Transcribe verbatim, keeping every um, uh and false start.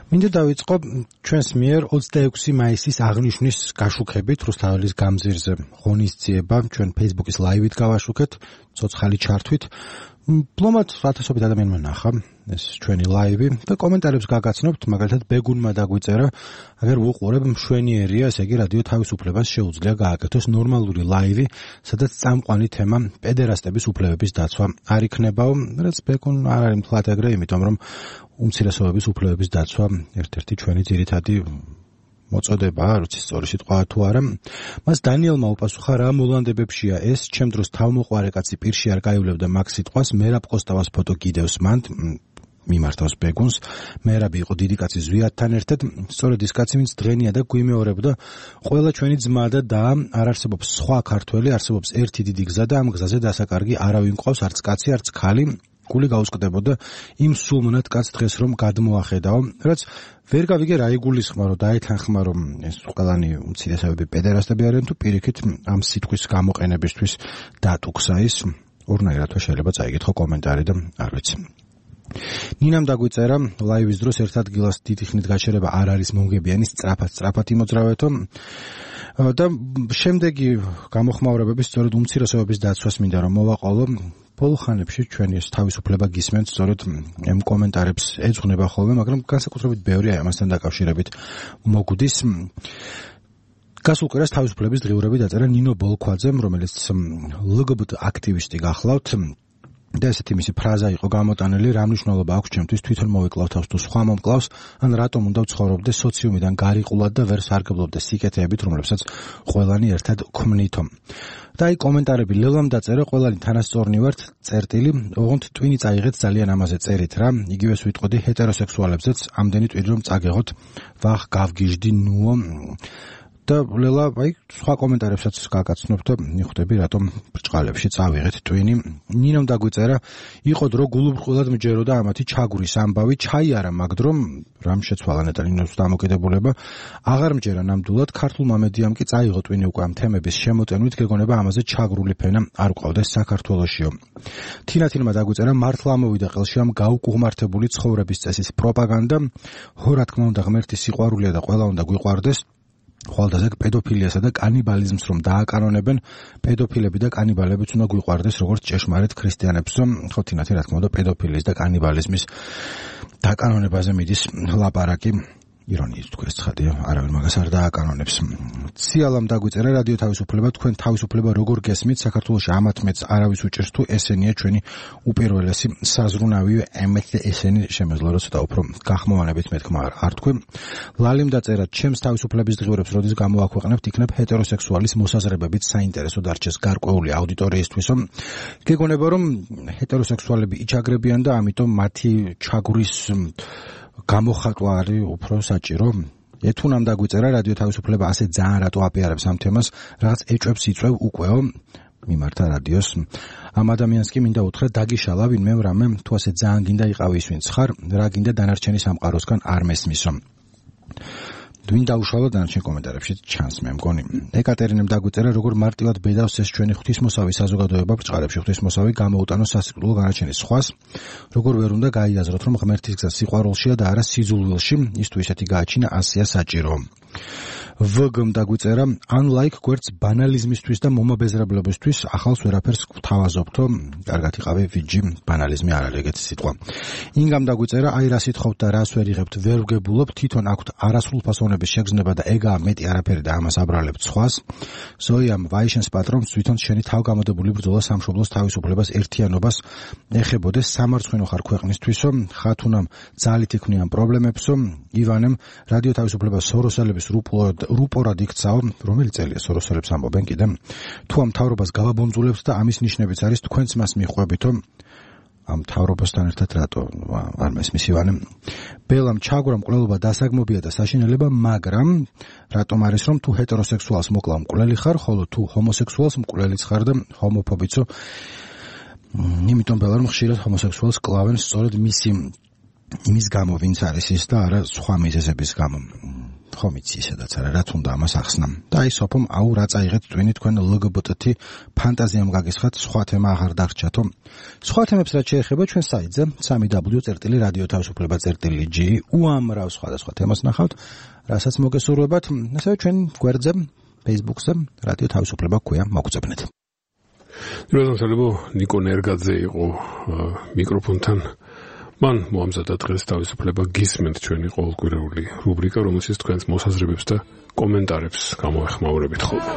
მინდა დავიწყო ჩვენს მიერ ოცდაექვსი მაისის აღნიშვნის გაშუქებით რუსთაველის გამზირზე ღონისძიება ჩვენ Facebook-ის ლაივით გავაშუქეთ, ცოცხალი ჩართვით. Პლომად ათასობით ადამიანმა ნახა ეს ჩვენი ლაივი და კომენტარებს გაგაცნობთ, მაგალითად ბეგუნმა დაგვიწერა, აგერ უყურებ მშვენიერია, ესე იგი რადიო თავისუფლებას შეუძლია გააკეთოს ნორმალური ლაივი, სადაც წამყვანი თემა პედერასტების უფლებების დაცვა არ იქნებაო, რაც ბეგუნ არ არის მთლად ეგრე, იმიტომ რომ უმცირესობების უფლებების დაცვა ერთ-ერთი ჩვენი ძირითადი მოწოდებაა, როცა სწორი სიტყვაა თუ არა. მას დანიელმა უპასუხა, რა მოლანდებებშია ეს, ჩემ დროს თავმოყვარე კაცი პირში არ გაივლებდა მაგ სიტყვას, მერაბ კოსტავას ფოტო გიდევს მან, მიმართავს ბეგუნს, მერაბი იყო დიდი კაცი ზვიათთან ერთად, სწორედ ის კაცი, ვინც დღენია და გვიმეორებდა, ყველა ჩვენი ძმა და და არ არსებობს სხვა ქართველი, არსებობს ერთი დიდი გზა და ამ გზაზე დასაკარგი არავინ მყავს, არც კაცი, არც ქალი. გული გაუსკდებოდა იმ სულმონად კაც დღეს რომ გადმოახედაო, რაც ვერ გავიგე რა იგულისხმა, რომ დაეთანხმა, რომ ეს ყველანი უმცირესობები პედერასტები არიან თუ პირიქით ამ სიტყვის გამოყენებისთვის დატუქსა ის, ორნაირად შეიძლება წაიგეთო კომენტარი და არ ვიცი. ნინამ დაგვიწერა, ლაივის დროს ერთ ადგილას დიდი ხნით გაჩერება არ არის მომგებიანი, სწრაფად სწრაფად იმოძრავეთო და შემდეგი გამოხმაურებების სწორედ უმცირესობების დაცვას მინდა რომ მოვაყოლო. ბოლო ხანებში ჩვენი ეს თავისუფლება გისმენთ, სწორედ ამ კომენტარებს ეძღვნება ხოლმე, მაგრამ განსაკუთრებით ბევრი ამასთან დაკავშირებით მოგვდის. გასულ კვირას თავისუფლების დღიურები დაწერა ნინო ბოლქვაძემ, რომელიც ელ გი ბი ტი აქტივისტი გახლავთ. და ესეთი მისი ფრაზა იყო გამოტანილი, რა მნიშვნელობა აქვს ჩემთვის თვითონ მოვიკლავ თავს თუ სხვა მომკლავს, ან რატომ უნდა ვცხოვრობდე სოციუმიდან გარიყულად და ვერ სარგებლობდე სიკეთეებით, რომლებსაც ყველანი ერთად ქმნითო. და აი კომენტარები ლელამ დაწერა, ყველანი თანასწორნი ვართ, წერტილი, ოღონდ ტვინი წაიღეთ ძალიან ამაზე წერით რა, იგივეს ვიტყოდი ჰეტეროსექსუალებზეც, ამდენი ტვინი რომ წაგეღოთ, ვახ გავგიჟდი ნუო. და ლელა, აი, სხვა კომენტარებსაც გაგაცნობ და მიხვდები, რატომ ბრჭყალებში წავიღეთ ტვინი. ნინომ დაგვიწერა, იყო დრო გულუბრყვილად მჯეროდა ამათი ჩაგვრის ამბავი, ჩაიარა მაგ დრო, რამ შეცვალა ნეტალინოს დამოკიდებულება, აღარ მჯერა ნამდვილად, ქართულმა მედიამ კი წაიღო ტვინი უკვე ამ თემების შემოტენვით, გეგონება ამაზე ჩაგრული ფენა არ გვყავდეს საქართველოშიო. თინათინმა დაგვიწერა, მართლა ამოვიდა ყელში ამ გაუკუღმართებული ცხოვრების წესის პროპაგანდა, ხო რა თქმა უნდა ღმერთის სიყვარულია და ყველა უნდა გვიყვარდეს. ხვალდაზე პედოფილიასა და კანიბალიზმს რომ დააკანონებენ, პედოფილები და კანიბალებიც უნდა გვიყვარდეს როგორც ჭეშმარიტ ქრისტიანებს. ხო თინათინ რა თქმა უნდა პედოფილიის და კანიბალიზმის დაკანონებაზე მიდის ლაპარაკი. ირონიის თქვენ ცხადია, არავინ მაგას არ დააკანონებს. ციალამ დაგვიწერა, რადიო თავისუფლება, თქვენ თავისუფლება როგორ გესმით, საქართველოში ამათ მეც არავის უჭერს თუ ესენია ჩვენი უპირველესი საზრუნავი, ემეთ ესენი შემეძლო რომ ცოტა უფრო გახმოვანებით მეთქმა არ თქვენ. ლალიმ დაწერა, ჩემს თავისუფლების დღიურებს როდის გამოაქვეყნებთ, იქნებ ჰეტეროსექსუალის მოსაზრებებით საინტერესო დარჩეს გარკვეული აუდიტორიისთვისო. გეგონება რომ ჰეტეროსექსუალები იჩაგრებიან და ამიტომ მათი ჩაგვრის გამოხატვა არის უფრო საჭირო. ეთუნამ დაგვიწერა, რადიო თავისუფლება ასე ძალიან რატო აპიარებს ამ თემას, რაღაც ეჭვებს იწვევ უკვე მიმართა რადიოს. ამ ადამიანს კი მინდა უთხრა, დაგიშალა ვინმე რამე, თუ ასე ძალიან გინდა იყავი ის ვინც ხარ, რა გინდა დანარჩენი სამყაროსგან არ მესმისო. ვინ დაუშალა დანარჩენ კომენტარებში ჩანს მე მგონი. ეკატერინემ დაგვიწერა, როგორ მარტივად ბედავს ეს ჩვენი ღვთისმოსავი საზოგადოება ბრჭყალებში, ღვთისმოსავი გამოუტანოს სასიკვდილო განაჩენის სხვას, როგორ ვერ უნდა გაიაზროთ, რომ ღმერთის გზა სიყვარულშია და არა სიძულვილში, ის თუ ისეთი გააჩინა, ასეა საჭირო. ვგმ დაგვიწერა, unlike გვერდს ბანალიზმისთვის და მომაბეზრებლებისთვის ახალს ვერაფერს გვთავაზობთო, კარგად იყავი ვიჯი, ბანალიზმი არ არის ეგეთი სიტყვა. ინგამ დაგვიწერა, აი რა სიტყვობთ და რას ვერ იღებთ, ვერ ვგებულობ, თვითონ აქვთ არასრულფასოვნების შეგრძნება და ეგაა მეტი არაფერი და ამას აბრალებთ სხვას. ზოიამ ვაიშენს პატრონს თვითონ შენი თავგამოდებული ბრძოლა სამშობლოს თავისუფლებას ერთიანობას ეხებოდეს, სამარცხვინო ხარ ქვეყნისთვისო, ხათუნამ ძალით იქმნიან პრობლემებსო, ივანემ რადიო თავისუფლებას სოროსელების რუპლოდ რუპორად იქცაო, რომელი წელია სოროსელებს ამბობენ კიდე. თუ ამ თავრობას გავაბონძულებთ და ამის ნიშნებიც არის თქვენც მას მიხვევითო, ამ თავრობასთან ერთად რატო არ მესმის ივანემ. ბელამ ჩაგვრა მკვლელობა დასაგმობია და საშინელება, მაგრამ რატომ არის რომ თუ ჰეტეროსექსუალს მოკლავ მკვლელი ხარ, ხოლო თუ ჰომოსექსუალს მკვლელიც ხარ და ჰომოფობიცო. იმიტომ ბელამ ხშირად ჰომოსექსუალს კლავენ სწორედ მისი იმის გამო, ვინც არის ის და არა სხვა მიზეზების გამო. ხომ იცი სადაც არა რა თუნდა ამას ახსნა და აი სოფომ აუ რა წაიღეთ twin თქვენ ლგბტ ფანტაზიამ გაგისხათ სხვა თემა აღარ დარჩათო სხვა თემებს რაც შეეხება ჩვენ საიტზე სამი დაბლიუ წერტილი რადიო თავისუფლება წერტილი ჯი უამრავ სხვადასხვა თემას ნახავთ რასაც მოგესურვებათ ასევე ჩვენ გვერდზე Facebook-ზე რადიო თავისუფლება გვქვია მოგწებნეთ დროშანსალებო ნიკო ნერგაძე იყო მიკროფონთან მან მოამზადა დღეს თავისუფლება გისმენთ ჩვენი ყოველკვირეული რუბრიკა რომელშიც თქვენს მოსაზრებებს და კომენტარებს გამოეხმაურებით ხოლმე